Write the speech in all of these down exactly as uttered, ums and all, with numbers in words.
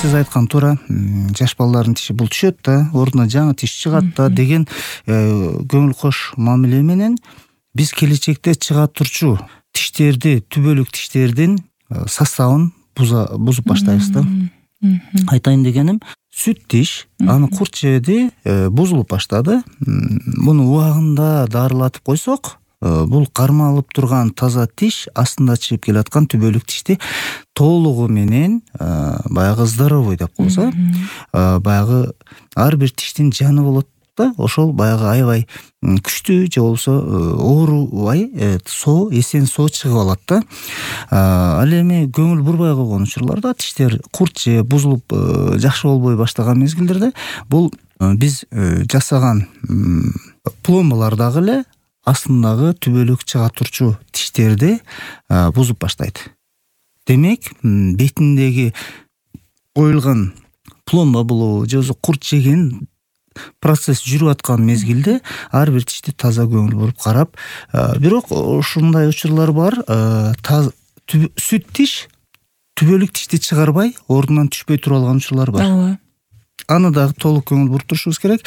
сиз айткан туура, жаш балдардын тиши бул түшөт да, ордуна жаңы тиш чыгат да деген көңүл кош мамиле менен биз келечекте чыга турчу тиштерди, түбөлүк тиштердин составын бузуп баштайбыз да. Айтайын дегеним, сүт тиш, анын курт жеби бузулуп баштады. Муну убагында дарылатып койсок, бул кармалып турган таза тиш астында чыгып келаткан түбөлүк тишти толугу менен баягы здоровый деп коебуз, баягы ар бир тиштин жаны болот да, ошол баягы аябай күчтүү же болбосо оорубай соо, эсен соо чыгып алат да. Ал эми көңүл бурбай койгон учурларда, тиштер курт же бузулуп жакшы болбой баштаган мезгилдерде бул биз жасаган пломбалар дагы эле астындагы түбөлүк чыга турчу тиштерди бузуп баштайт. Демек, бетиндеги коюлган пломба болобу же болбосо курт жеген процесс жүрүп аткан мезгилде ар бир тишти таза көңүл буруп карап, бирок ушундай учурлар бар, сүт тиш түбөлүк тишти чыгарбай, ордунан түшпөй тура алган учурлар бар. Аны дагы толук көңүл буруп турушубуз керек.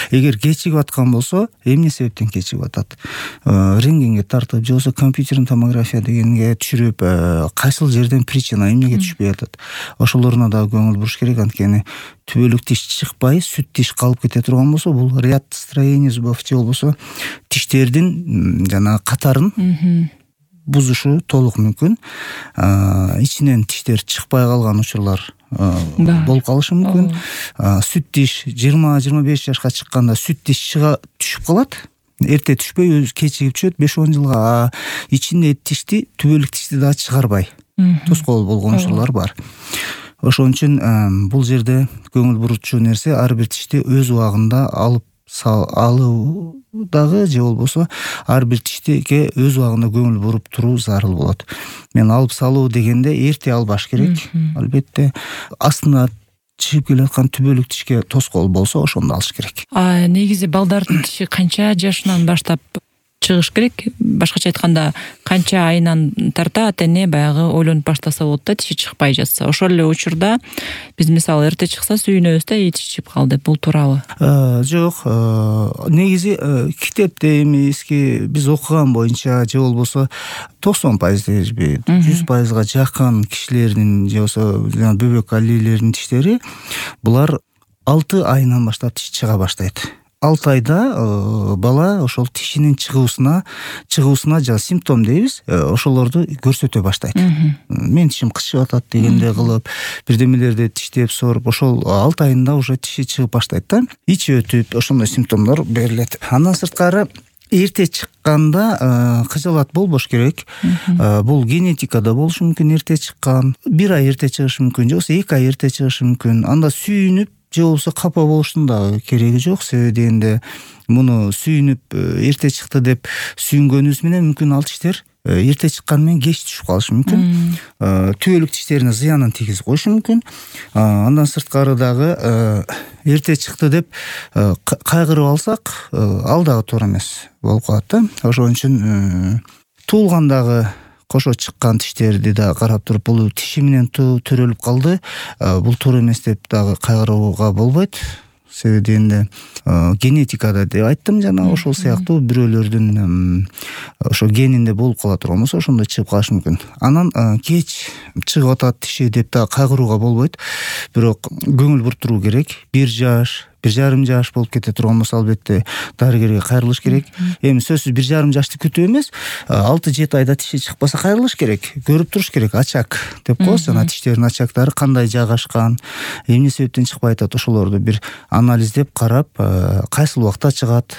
Эгер кечигип аткан болсо, эмне себептен кечигип атат? Рентгенге тартып, же болбосо компьютерный томография дегенге түшүрүп, кайсыл жерден причина, эмнеге түшпөй атат? Ошолоруна дагы көңүл буруш керек, анткени түбөлүк тиш чыкпай, сүт тиш калып кете турган болсо, бул ряд строений зубов же болбосо тиштердин жана катарын бузушу толук мүмкүн. Ичинен тиштер чыкпай калган учурлар болуп калышы мүмкүн. Сүт тиш жыйырма жыйырма беш жашка чыкканда сүт тиш чыга түшүп калат. Эрте түшпөй, өзү кечигип түшөт беш он жылга. А ичинде тишти, түбөлүк тишти дагы чыгарбай тоскоол болгон учурлар бар. Ошон үчүн бул жерде көңүл буручу нерсе ар бир тишти өз убагында алып алуу дагы же болбосо ар бир тиштиге өз убагында көңүл буруп туруу зарыл болот. Мен алып салуу дегенде эрте албаш керек. Албетте астына чыгып келаткан түбөлүк тишке тоскоол болсо ошондо алыш керек. А негизи балдардын тиши канча жашынан баштап чыгыш керек? Башкача айтканда, канча айынан тарта ата эне баягы ойлонуп баштаса болот да, тиши чыкпай жатса. Ошол эле учурда биз мисалы эрте чыкса сүйүнөбүз да, тиш чыгып калды. Бул туурабы? Жок, негизи китепте эми эски биз окуган боюнча же болбосо токсон пайыз дешби, жүз пайызга жакын кишилердин же болбосо бөбөк алилердин тиштери булар алты айынан баштап тиш чыга баштайт. алты айда бала ошол тишинин чыгуусуна чыгуусуна жана симптом дейбиз, ошолорду көрсөтө баштайт. Мен тишим кычып атат дегенде кылып, бирдемелерди тиштеп соруп, ошол алты айында уже тиши чыгып баштайт да. Ич өтүп, ошондой симптомдор берилет. Андан сырткары эрте чыкканда кыжалат болбош керек. Бул генетикада болушу мүмкүн, эрте чыккан, бир ай эрте чыгышы мүмкүн, же болбосо эки ай эрте чыгышы мүмкүн. Анда сүйүнүп же болбосо капа болуштун дагы кереги жок. Себеби дегенде муну сүйүнүп эрте чыкты деп сүйүнгөнүбүз менен мүмкүн ал тиштер эрте чыккан менен кеч түшүп калышы мүмкүн. Түбөлүк тиштерине зыянын тийгизип коюшу мүмкүн. Андан сырткары дагы эрте чыкты деп кайгырып алсак, ал дагы туура эмес болуп калат да. Ошон үчүн туулгандагы кошо чыккан тиштерди да карап туруп, бул тиши менен төрөлүп калды, бул туура эмес деп дагы кайгырууга болбойт. Себеби дегенде генетикада деп айттым жана, ошол сыяктуу бирөөлөрдүн ошо генинде болуп кала турган болсо ошондой чыгып калышы мүмкүн. Анан кеч чыгып атат тиши деп да кайгырууга болбойт. Бирок көңүл буртуруу керек. бир жаш, бир жарым жаш болуп кете турган болсо албетте дарыгерге кайрылыш керек. Эми сөзсүз бир жарым жашты күтүү эмес, алты жети айда тиши чыкпаса кайрылыш керек. Көрүп туруш керек. Ачак деп коебуз, жана тиштердин ачактары кандай жайгашкан, эмне себептен чыкпай атат, ошолорду бир анализдеп карап, кайсыл убакта чыгат,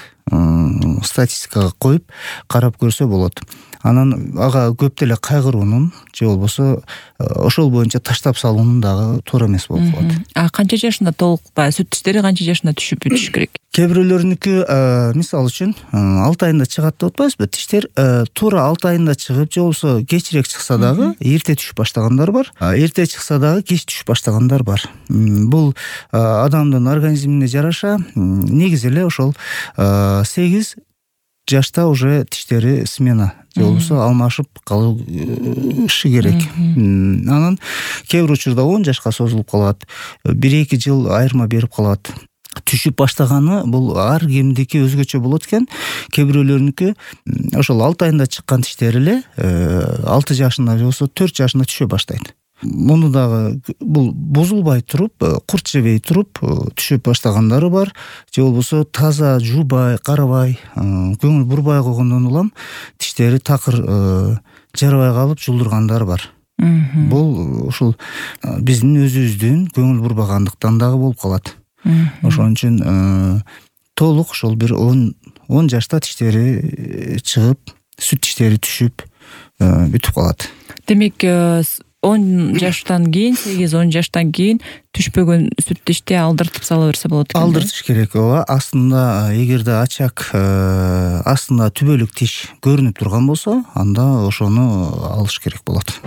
статистикага коюп карап көрсө болот. Анан ага көп деле кайгыруунун же болбосо ошол боюнча таштап салуунун дагы туура эмес болуп калат. А канча жашында толук баягы сүт тиштери канча жашында түшүп бүтүш керек? Кээ бирөөлөрүнүкү мисалы үчүн алты айында чыгат деп атпайбызбы? Тиштер туура алты айында чыгып, же болбосо кечирээк чыкса дагы эрте түшүп баштагандар бар. Эрте чыкса дагы кеч түшүп баштагандар бар. Бул адамдын организмине жараша негизи эле ошол сегиз жашта уже тиштери смена же болбосо алмашып калышы керек. Анан кээ бир учурда он жашка созулуп калат, бир эки жыл айырма берип калат. Түшүп баштаганы бул ар кимдики өзгөчө болот экен. Кээ бирөөлөрүнүкү ошол алты айында чыккан тиштери эле алты жашында же болбосо төрт жашында түшө баштайт. Муну дагы бул бузулбай туруп, курт жебей туруп түшүп баштагандары бар, же болбосо таза жуубай, карабай, көңүл бурбай койгондон улам тиштери такыр жарабай калып жулдургандары бар. Бул ушул биздин өзүбүздүн көңүл бурбагандыктан дагы болуп калат. Ошон үчүн толук ошол бир он жашта тиштери чыгып, сүт тиштери түшүп бүтүп калат. Демек, он жаштан кийин, сегиз он жаштан кийин түшпөгөн сүт тишти алдыртып сала берсе болот экен. Алдыртыш керек. Ооба, астында эгерде ачак астында түбөлүк тиш көрүнүп турган болсо, анда ошону алыш керек болот.